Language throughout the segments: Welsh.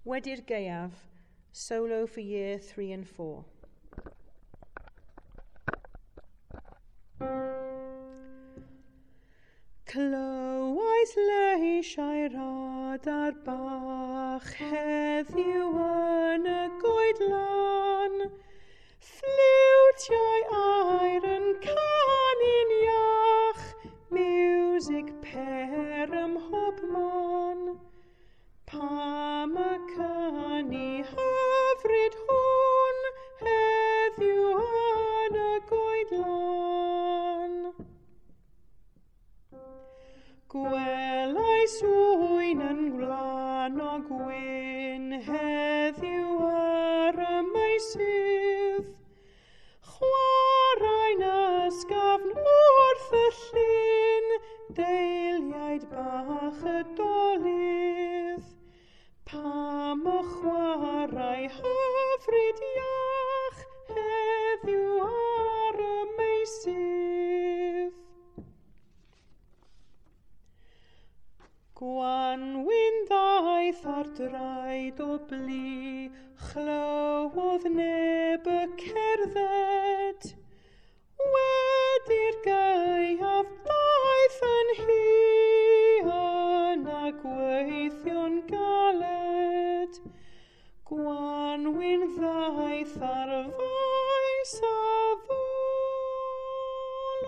Wedi'r Gaeaf, solo for year 3 and 4. Clywais leisiau'r adar bach heddiw yn y goedlan, ffliwtiau aur yn canu'n iach, miwsig pêr ym mhobman. Pam y canu hyfryd hwn heddiw yn y goedlan? Gwelais ŵyn yn gwlanog gwyn heddiw ar y meysydd, chwarae'n ysgafn wrth y llyn, deiliaid bach y dolydd. Pam y chwarae hyfryd iach heddiw ar y meysydd? Gwanwyn ddaeth ar draed o blu, chlywodd neb y cerdded. Wedi'r gaeaf daeth yn huan a gweithio'n galed. Gwanwyn ddaeth ar faes a ddôl,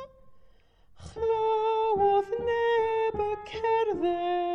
chlywodd neb y cerdded.